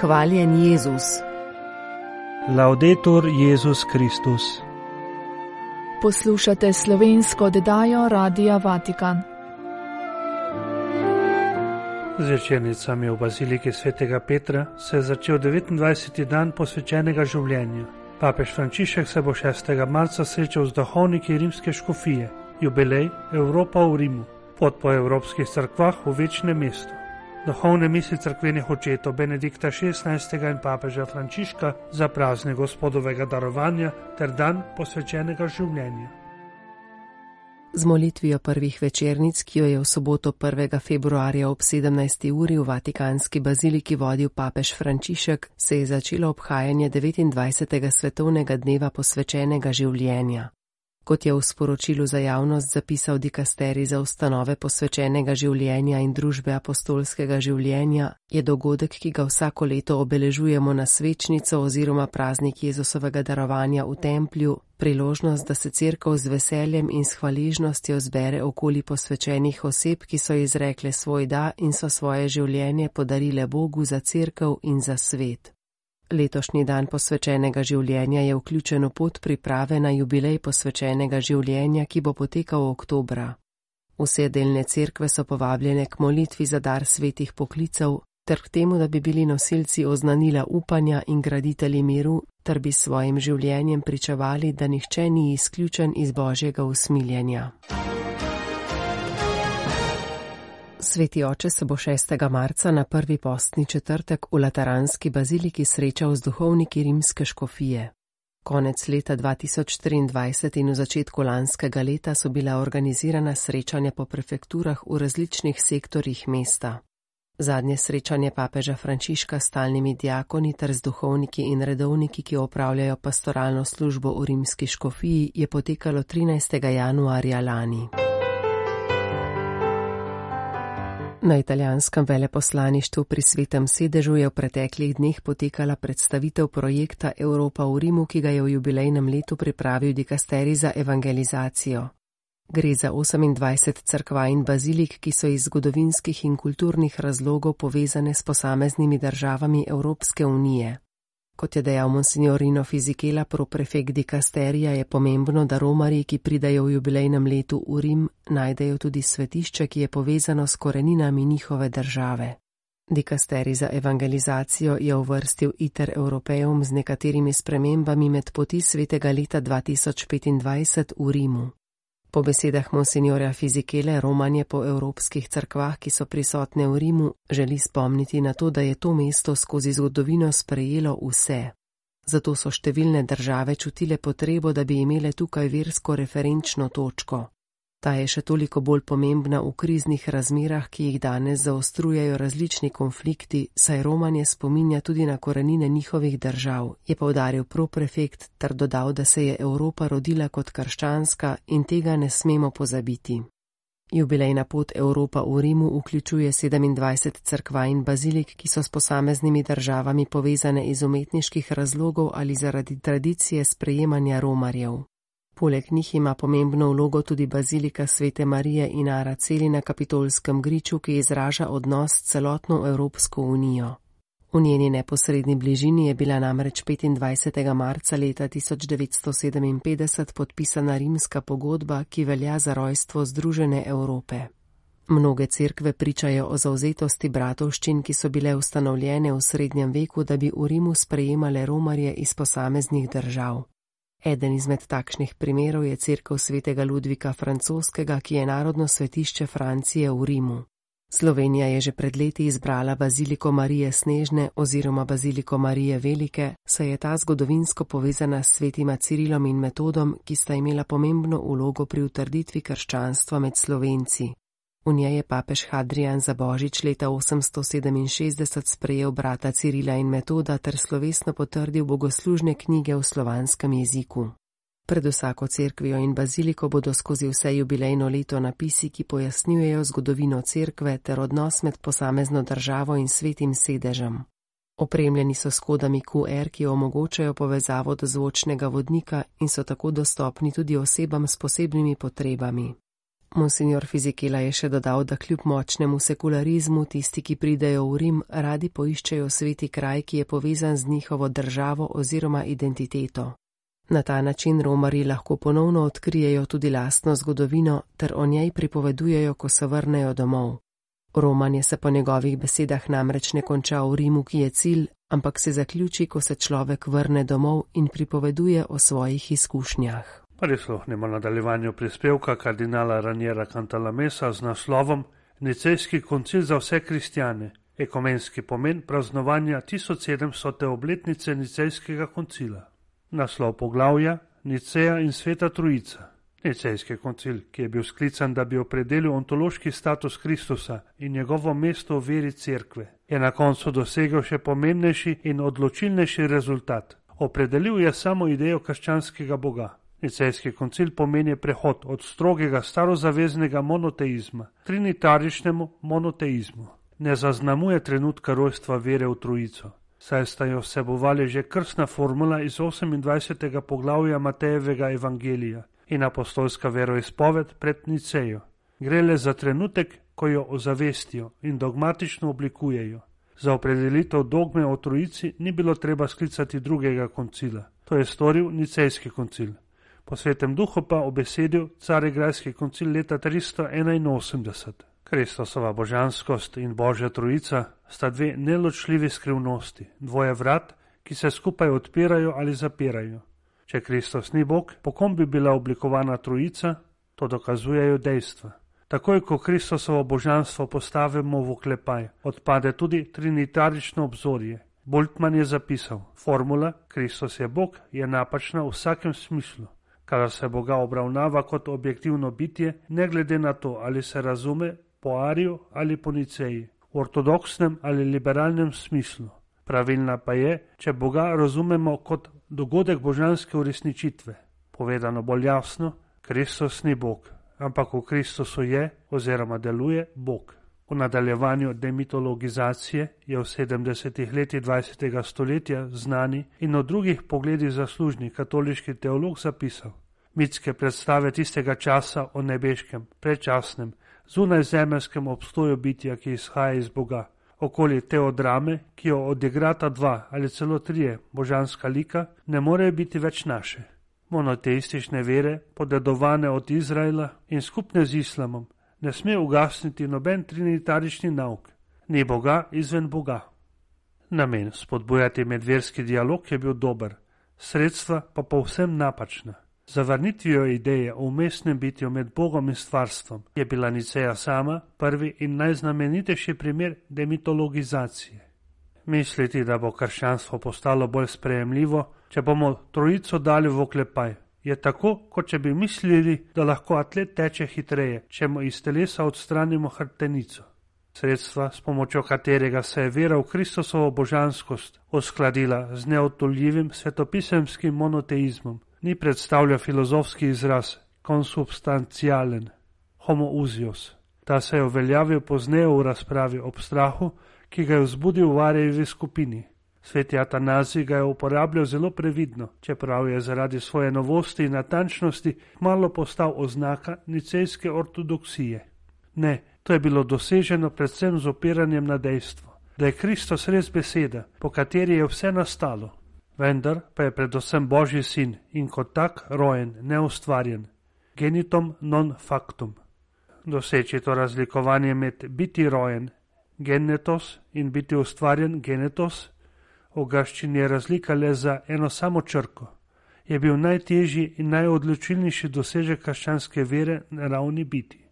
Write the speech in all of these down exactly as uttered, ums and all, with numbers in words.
Hvaljen Jezus. Laudetur Jezus Kristus. Poslušate slovensko oddajo Radia Vatikan. Z večernicami v baziliki svetega Petra se je začel devetindvajseti dan posvečenega življenja. Papež Frančišek se bo šestega marca srečal z duhovniki rimske škofije. Jubilej Evropa v Rimu. Pot po evropskih cerkvah v večnem mestu. Duhovne misli cerkvenih očetov Benedikta šestnajstega in papeža Frančiška za praznik Gospodovega darovanja ter dan posvečenega življenja. Z molitvijo prvih večernic, ki jo je v soboto prvega februarja ob sedemnajsti uri v Vatikanski baziliki vodil papež Frančišek, se je začelo obhajanje devetindvajsetega svetovnega dneva posvečenega življenja. Kot je v sporočilu za javnost zapisal dikasterij za ustanove posvečenega življenja in družbe apostolskega življenja, je dogodek, ki ga vsako leto obeležujemo na svečnico oziroma praznik Jezusovega darovanja v templju, priložnost, da se cerkev z veseljem in s hvaležnostjo zbere okoli posvečenih oseb, ki so izrekle svoj da in so svoje življenje podarile Bogu za cerkev in za svet. Letošnji dan posvečenega življenja je vključen v pot priprave na jubilej posvečenega življenja, ki bo potekal oktobra. Vse delne cerkve so povabljene k molitvi za dar svetih poklicev, ter k temu, da bi bili nosilci oznanila upanja in graditelji miru, ter bi s svojim življenjem pričevali, da nihče ni izključen iz Božjega usmiljenja. Sveti oče se bo šestega marca na prvi postni četrtek v Lateranski baziliki srečal z duhovniki rimske škofije. Konec leta dva tisoč triindvajset in v začetku lanskega leta so bila organizirana srečanja po prefekturah v različnih sektorjih mesta. Zadnje srečanje papeža Frančiška s stalnimi diakoni ter z duhovniki in redovniki, ki opravljajo pastoralno službo v rimski škofiji, je potekalo trinajstega januarja lani. Na italijanskem veleposlaništvu pri Svetem sedežu je v preteklih dneh potekala predstavitev projekta Evropa v Rimu, ki ga je v jubilejnem letu pripravil dikasterij za evangelizacijo. Gre za osemindvajset cerkva in bazilik, ki so iz zgodovinskih in kulturnih razlogov povezane s posameznimi državami Evropske unije. Kot je dejal monsignor Rino Fisichella, proprefekt dikasterija, je pomembno, da romarji, ki pridajo v jubilejnem letu v Rim, najdejo tudi svetišče, ki je povezano s koreninami njihove države. Dikasterij za evangelizacijo je uvrstil Iter Europeum z nekaterimi spremembami med poti svetega leta dva tisoč petindvajset v Rimu. Po besedah monsinjorja Fisichelle, romanje po evropskih cerkvah, ki so prisotne v Rimu, želi spomniti na to, da je to mesto skozi zgodovino sprejelo vse. Zato so številne države čutile potrebo, da bi imele tukaj versko referenčno točko. Ta je še toliko bolj pomembna v kriznih razmerah, ki jih danes zaostrujejo različni konflikti, saj romanje spominja tudi na korenine njihovih držav, je poudaril proprefekt ter dodal, da se je Evropa rodila kot krščanska in tega ne smemo pozabiti. Jubilejna pot Evropa v Rimu vključuje sedemindvajset cerkva in bazilik, ki so s posameznimi državami povezane iz umetniških razlogov ali zaradi tradicije sprejemanja romarjev. Poleg njih ima pomembno vlogo tudi bazilika Svete Marije in Araceli na Kapitolskem griču, ki izraža odnos s celotno Evropsko unijo. V njeni neposredni bližini je bila namreč petindvajsetega marca leta tisoč devetsto sedeminpetdeset podpisana rimska pogodba, ki velja za rojstvo Združene Evrope. Mnoge cerkve pričajo o zavzetosti bratovščin, ki so bile ustanovljene v srednjem veku, da bi v Rimu sprejemale romarje iz posameznih držav. Eden izmed takšnih primerov je cerkev svetega Ludvika Francoskega, ki je narodno svetišče Francije v Rimu. Slovenija je že pred leti izbrala baziliko Marije Snežne oziroma baziliko Marije Velike, saj je ta zgodovinsko povezana s svetima Cirilom in Metodom, ki sta imela pomembno vlogo pri utrditvi krščanstva med Slovenci. V njej je papež Hadrijan za božič leta osemsto sedeminšestdeset sprejel brata Cirila in Metoda ter slovesno potrdil bogoslužne knjige v slovanskem jeziku. Pred vsako cerkvijo in baziliko bodo skozi vse jubilejno leto napisi, ki pojasnjujejo zgodovino cerkve ter odnos med posamezno državo in svetim sedežem. Opremljeni so s kodami Q R, ki omogočajo povezavo do zvočnega vodnika in so tako dostopni tudi osebam s posebnimi potrebami. Monsignor Fizikela je še dodal, da kljub močnemu sekularizmu tisti, ki pridejo v Rim, radi poiščejo sveti kraj, ki je povezan z njihovo državo oziroma identiteto. Na ta način romarji lahko ponovno odkrijejo tudi lastno zgodovino ter o njej pripovedujejo, ko se vrnejo domov. Romanje se po njegovih besedah namreč ne konča v Rimu, ki je cilj, ampak se zaključi, ko se človek vrne domov in pripoveduje o svojih izkušnjah. Prisluhnimo nadaljevanju prispevka kardinala Raniera Cantalamessa z naslovom Nicejski koncil za vse kristjane, ekumenski pomen praznovanja tisoč sedemstote obletnice Nicejskega koncila. Naslov poglavja Niceja in Sveta Trojica. Nicejski koncil, ki je bil sklican, da bi opredelil ontološki status Kristusa in njegovo mesto v veri cerkve, je na koncu dosegel še pomembnejši in odločilnejši rezultat. Opredelil je samo idejo krščanskega Boga. Nicejski koncil pomeni prehod od strogega starozaveznega monoteizma k trinitaričnemu monoteizmu. Ne zaznamuje trenutka rojstva vere v Trojico, saj sta jo vsebovali že krstna formula iz osemindvajsetega poglavja Matejevega evangelija in apostolska veroizpoved pred Nicejo. Gre le za trenutek, ko jo ozavestijo in dogmatično oblikujejo. Za opredelitev dogme o Trojici ni bilo treba sklicati drugega koncila. To je storil Nicejski koncil. Po Svetem duhu pa obesedil Carigrajski koncil leta tristo enainosemdeset. Kristusova božanskost in Božja Trojica sta dve neločljivi skrivnosti, dvoje vrat, ki se skupaj odpirajo ali zapirajo. Če Kristus ni Bog, po kom bi bila oblikovana Trojica, to dokazujejo dejstva. Takoj, ko Kristusovo božanstvo postavimo v oklepaj, odpade tudi trinitarično obzorje. Bultmann je zapisal, formula Kristus je Bog je napačna v vsakem smislu. Kadar se Boga obravnava kot objektivno bitje, ne glede na to, ali se razume po Ariju ali po Niceji, v ortodoksnem ali liberalnem smislu. Pravilna pa je, če Boga razumemo kot dogodek božanske uresničitve. Povedano bolj jasno, Kristus ni Bog, ampak v Kristusu je oziroma deluje Bog. V nadaljevanju demitologizacije je v sedemdesetih letih dvajsetega stoletja znani in v drugih pogledih zaslužni katoliški teolog zapisal: mitske predstave tistega časa o nebeškem, predčasnem, zunajzemeljskem obstoju bitja, ki izhaja iz Boga, okoli teodrame, ki jo odigrata dva ali celo trije božanska lika, ne morejo biti več naše. Monoteistične vere, podedovane od Izraela in skupne z islamom, ne sme ugasniti noben trinitarični nauk, ni Boga izven Boga. Namen spodbujati medverski dialog je bil dober, sredstva pa povsem napačna. Zavrnitvijo ideje o umestnem bitju med Bogom in stvarstvom je bila Niceja sama prvi in najznamenitejši primer demitologizacije. Misliti, da bo krščanstvo postalo bolj sprejemljivo, če bomo Trojico dali v oklepaj, je tako, kot če bi mislili, da lahko atlet teče hitreje, če mu iz telesa odstranimo hrbtenico. Sredstva, s pomočjo katerega se je vera v Kristusovo božanskost uskladila z neotoljivim svetopisemskim monoteizmom, ni predstavlja filozofski izraz konsubstancialen, homoousios. Ta se je uveljavil pozneje v razpravi ob strahu, ki ga je vzbudil v Arijevi skupini. Sveti Atanazij ga je uporabljal zelo previdno, čeprav je zaradi svoje novosti in natančnosti malo postal oznaka nicejske ortodoksije. Ne, to je bilo doseženo predvsem z opiranjem na dejstvo, da je Kristus res beseda, po kateri je vse nastalo. Vendar pa je predvsem Božji sin in kot tak rojen, neustvarjen, genitum non factum. Doseči to razlikovanje med biti rojen, genetos, in biti ustvarjen, genetos, v grščini je razlika le za eno samo črko, je bil najtežji in najodločilnejši dosežek krščanske vere na ravni biti.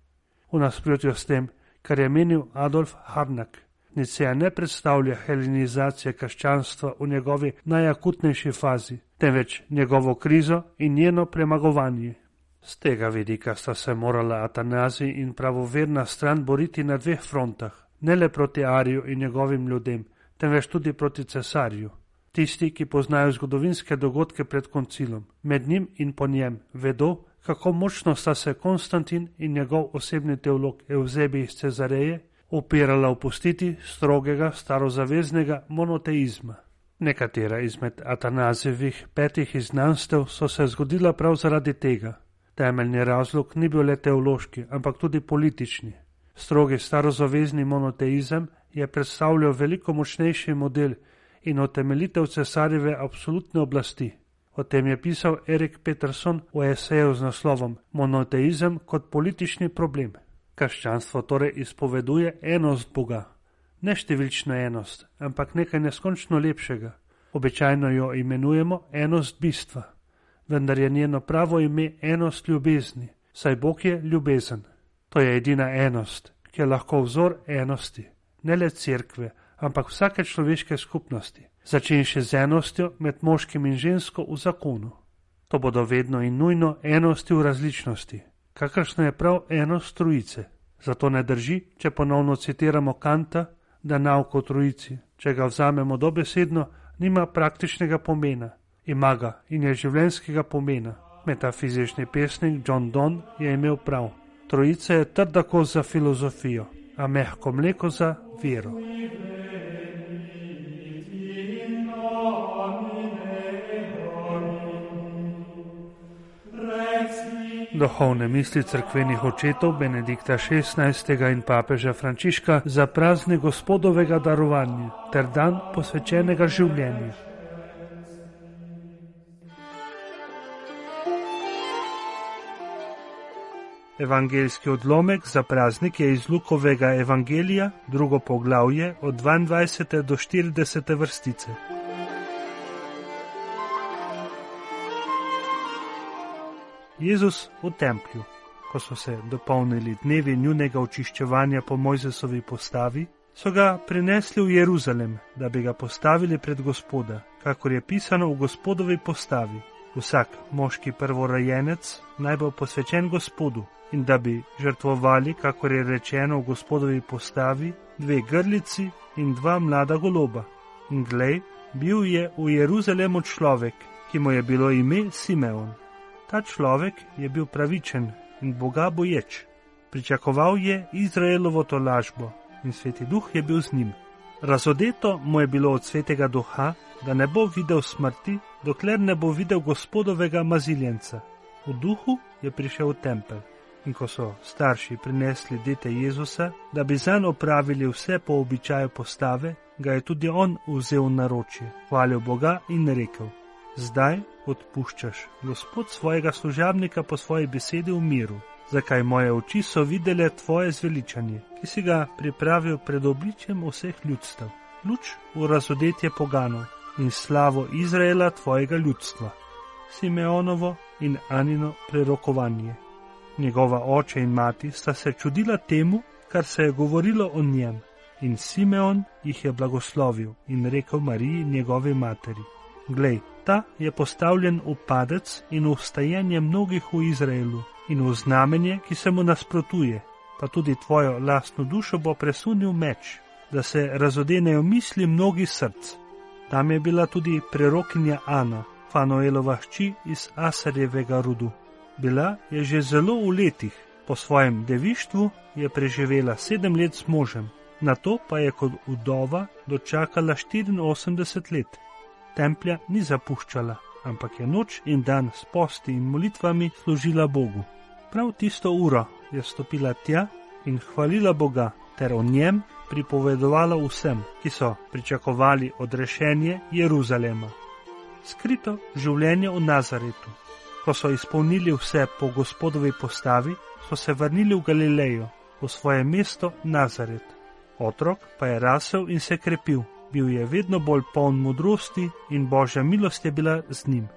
V nasprotju s tem, kar je menil Adolf Harnack, Niceja ne predstavlja helenizacije krščanstva v njegovi najakutnejši fazi, temveč njegovo krizo in njeno premagovanje. Z tega vidika sta se morala Atanazij in pravoverna stran boriti na dveh frontah, ne le proti Ariju in njegovim ljudem, temveč tudi proti cesarju. Tisti, ki poznajo zgodovinske dogodke pred koncilom, med njim in po njem, vedo, kako močno sta se Konstantin in njegov osebni teolog Evzebij iz Cezareje upirala opustiti strogega starozaveznega monoteizma. Nekatera izmed Atanazijevih petih izgnanstev so se zgodila prav zaradi tega. Temeljni razlog ni bil le teološki, ampak tudi politični. Strogi starozavezni monoteizem je predstavljal veliko močnejši model in utemeljitev cesarjeve absolutne oblasti. O tem je pisal Erik Peterson v eseju z naslovom Monoteizem kot politični problem. Krščanstvo torej izpoveduje enost Boga. Ne številčno enost, ampak nekaj neskončno lepšega. Običajno jo imenujemo enost bistva, vendar je njeno pravo ime enost ljubezni, saj Bog je ljubezen. To je edina enost, ki je lahko vzor enosti, ne le cerkve, ampak vsake človeške skupnosti, začenši z enostjo med moškim in žensko v zakonu. To bodo vedno in nujno enosti v različnosti, kakršna je prav enost trojice. Zato ne drži, če ponovno citiramo Kanta, da nauk o trojici, če ga vzamemo dobesedno, nima praktičnega pomena, ima ga in je življenjskega pomena. Metafizični pesnik John Donne je imel prav. Trojica je trda kost za filozofijo, a mehko mleko za vero. Duhovne misli cerkvenih očetov Benedikta šestnajstega in papeža Frančiška za praznik Gospodovega darovanja ter dan posvečenega življenja. Evangeljski odlomek za praznik je iz Lukovega evangelija, drugo poglavje od dvaindvajsete do štiridesete vrstice. Jezus v templju. Ko so se dopolnili dnevi njunega očiščevanja po Mojzesovi postavi, so ga prinesli v Jeruzalem, da bi ga postavili pred Gospoda, kakor je pisano v Gospodovi postavi. Vsak moški prvorojenec naj bo posvečen Gospodu, in da bi žrtvovali, kakor je rečeno v Gospodovi postavi, dve grlici in dva mlada goloba. In glej, bil je v Jeruzalemu človek, ki mu je bilo ime Simeon. Ta človek je bil pravičen in Boga boječ. Pričakoval je Izraelovo tolažbo in Sveti Duh je bil z njim. Razodeto mu je bilo od Svetega Duha, da ne bo videl smrti, dokler ne bo videl Gospodovega maziljenca. V duhu je prišel v tempelj. In ko so starši prinesli dete Jezusa, da bi zanj opravili vse po običaju postave, ga je tudi on vzel v naročje, hvalil Boga in rekel: Zdaj odpuščaš, Gospod, svojega služabnika po svoji besedi v miru, zakaj moje oči so videle tvoje zveličanje, ki si ga pripravil pred obličjem vseh ljudstev, luč v razodetje poganov in slavo Izraela tvojega ljudstva. Simeonovo in Anino prerokovanje. Njegova oče in mati sta se čudila temu, kar se je govorilo o njem, in Simeon jih je blagoslovil in rekel Mariji, njegovi materi: Glej, ta je postavljen v padec in v vstajenje mnogih v Izraelu in v znamenje, ki se mu nasprotuje, pa tudi tvojo lastno dušo bo presunil meč, da se razodenejo misli mnogih src. Tam je bila tudi prerokinja Ana, Fanuelova hči iz Asarjevega rodu. Bila je že zelo v letih, po svojem devištvu je preživela sedem let s možem, nato pa je kot vdova dočakala štiriinosemdeset let. Templja ni zapuščala, ampak je noč in dan s posti in molitvami služila Bogu. Prav tisto uro je stopila tja in hvalila Boga ter o njem pripovedovala vsem, ki so pričakovali odrešenje Jeruzalema. Skrito življenje v Nazaretu. Ko so izpolnili vse po Gospodovi postavi, so se vrnili v Galilejo, v svoje mesto Nazaret. Otrok pa je rasel in se krepil, bil je vedno bolj poln modrosti in Božja milost je bila z njim.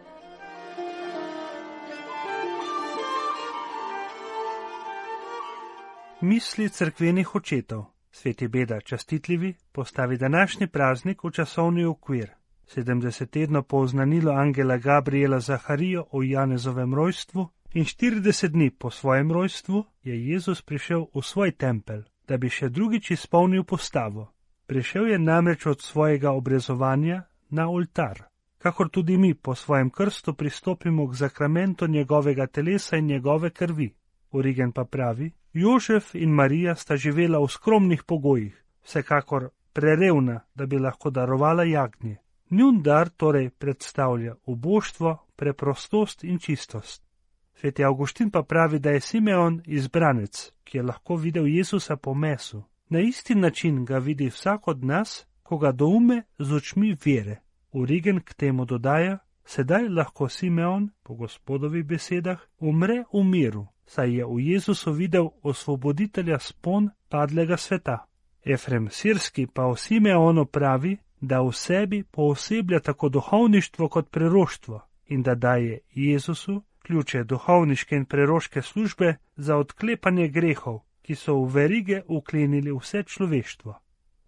Misli cerkvenih očetov. Sveti Beda častitljivi postavi današnji praznik v časovni okvir. sedemdeset tednov po oznanilu angela Gabriela Zaharijo o Janezovem rojstvu in štirideset dni po svojem rojstvu je Jezus prišel v svoj tempelj, da bi še drugič izpolnil postavo. Prišel je namreč od svojega obrezovanja na oltar, kakor tudi mi po svojem krstu pristopimo k zakramentu njegovega telesa in njegove krvi. Origen pa pravi: Jožef in Marija sta živela v skromnih pogojih, vsekakor prerevna, da bi lahko darovala jagnje. Njun dar torej predstavlja uboštvo, preprostost in čistost. Sveti Avguštin pa pravi, da je Simeon izbranec, ki je lahko videl Jezusa po mesu. Na isti način ga vidi vsak od nas, ko ga doume z očmi vere. Origen k temu dodaja, sedaj lahko Simeon, po Gospodovih besedah, umre v miru, saj je v Jezusu videl osvoboditelja spon padlega sveta. Efrem Sirski pa o Simeonu pravi, da v sebi pooseblja tako duhovništvo kot preroštvo in da daje Jezusu ključe duhovniške in preroške službe za odklepanje grehov, ki so v verige uklenili vse človeštvo.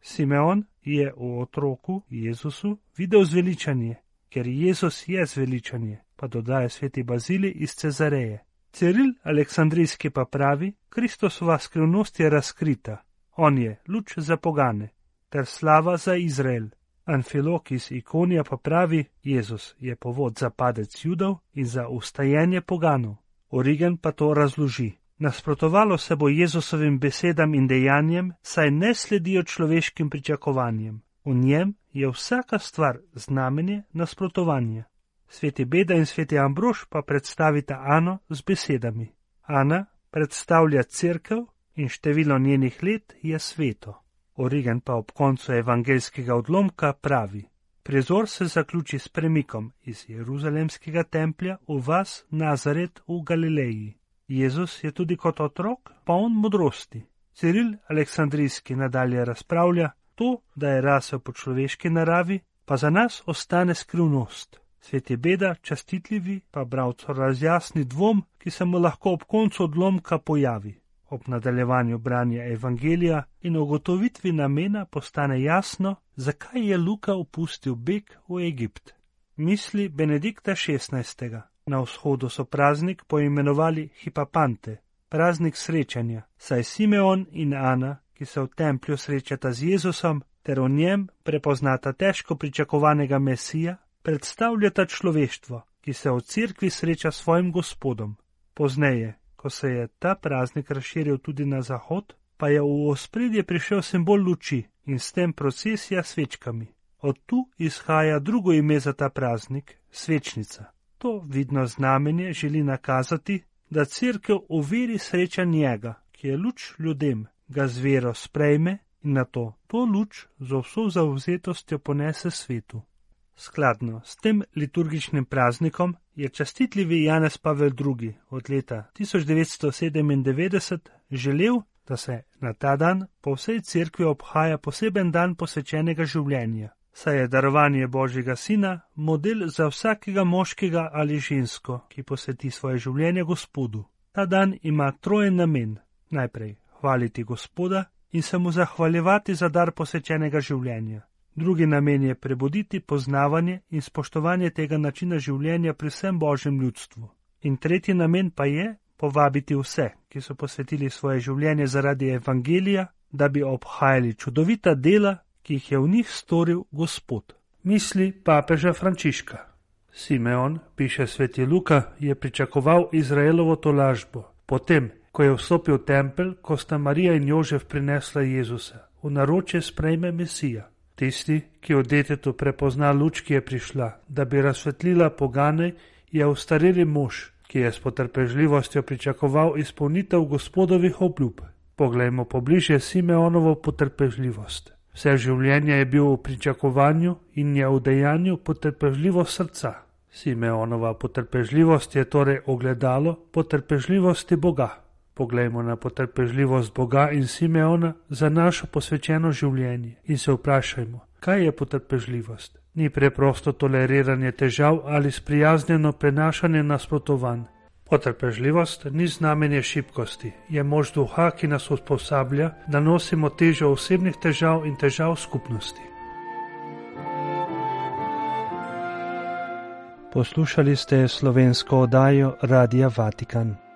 Simeon je v otroku Jezusu videl zveličanje, ker Jezus je zveličanje, pa dodaja sveti Bazilij iz Cezareje. Ciril Aleksandrijski pa pravi, Kristusova skrivnost je razkrita, on je luč za pogane, ter slava za Izrael. Anfilok iz Ikonija pa pravi, Jezus je povod za padec Judov in za ustajenje poganov. Origen pa to razloži. Nasprotovalo se bo Jezusovim besedam in dejanjem, saj ne sledijo človeškim pričakovanjem. V njem je vsaka stvar znamenje nasprotovanja. Sveti Beda in sveti Ambrož pa predstavita Ano z besedami. Ana predstavlja cerkev in število njenih let je sveto. Origen pa ob koncu evangeljskega odlomka pravi, prizor se zaključi s premikom iz Jeruzalemskega templja v vas Nazaret v Galileji. Jezus je tudi kot otrok poln modrosti. Ciril Aleksandrijski nadalje razpravlja, to, da je rasel po človeški naravi, pa za nas ostane skrivnost. Sveti Beda, častitljivi, pa bralcu razjasni dvom, ki se mu lahko ob koncu odlomka pojavi. Ob nadaljevanju branja evangelija in ugotovitvi namena postane jasno, zakaj je Luka opustil beg v Egipt. Misli Benedikta šestnajstega. Na vzhodu so praznik poimenovali Hipapante, praznik srečanja, saj Simeon in Ana, ki se v templju srečata z Jezusom, ter v njem prepoznata težko pričakovanega Mesija, predstavljata človeštvo, ki se v cerkvi sreča s svojim Gospodom. Pozneje, ko se je ta praznik razširil tudi na zahod, pa je v ospredje prišel simbol luči in s tem procesija s svečkami. Od tu izhaja drugo ime za ta praznik, svečnica. To vidno znamenje želi nakazati, da cerkev v veri sreča njega, ki je luč ljudem, ga z vero sprejme in nato to luč z vso zavzetostjo ponese svetu. Skladno s tem liturgičnim praznikom je častitljivi Janez Pavel drugi od leta tisoč devetsto sedemindevetdeset želel, da se na ta dan po vsej cerkvi obhaja poseben dan posvečenega življenja, saj je darovanje Božjega Sina model za vsakega moškega ali žensko, ki posveti svoje življenje Gospodu. Ta dan ima trojen namen. Najprej hvaliti Gospoda in se mu zahvaljevati za dar posvečenega življenja. Drugi namen je prebuditi poznavanje in spoštovanje tega načina življenja pri vsem Božjem ljudstvu. In tretji namen pa je povabiti vse, ki so posvetili svoje življenje zaradi evangelija, da bi obhajali čudovita dela, ki jih je v njih storil Gospod. Misli papeža Frančiška. Simeon, piše sveti Luka, je pričakoval Izraelovo tolažbo. Potem, ko je vstopil v tempelj, ko sta Marija in Jožef prinesla Jezusa, v naročje sprejme Mesija. Tisti, ki v detetu prepozna luč, ki je prišla, da bi razsvetlila pogane, je ustareli mož, ki je s potrpežljivostjo pričakoval izpolnitev Gospodovih obljub. Poglejmo pobliže Simeonovo potrpežljivost. Vse življenje je bil v pričakovanju in je v dejanju potrpežljivost srca. Simeonova potrpežljivost je torej ogledalo potrpežljivosti Boga. Poglejmo na potrpežljivost Boga in Simeona za našo posvečeno življenje in se vprašajmo, kaj je potrpežljivost. Ni preprosto toleriranje težav ali sprijaznjeno prenašanje nasprotovanj. Potrpežljivost ni znamenje šibkosti, je moč duha, ki nas usposablja, da nosimo težo osebnih težav in težav skupnosti. Poslušali ste slovensko oddajo Radia Vatikan.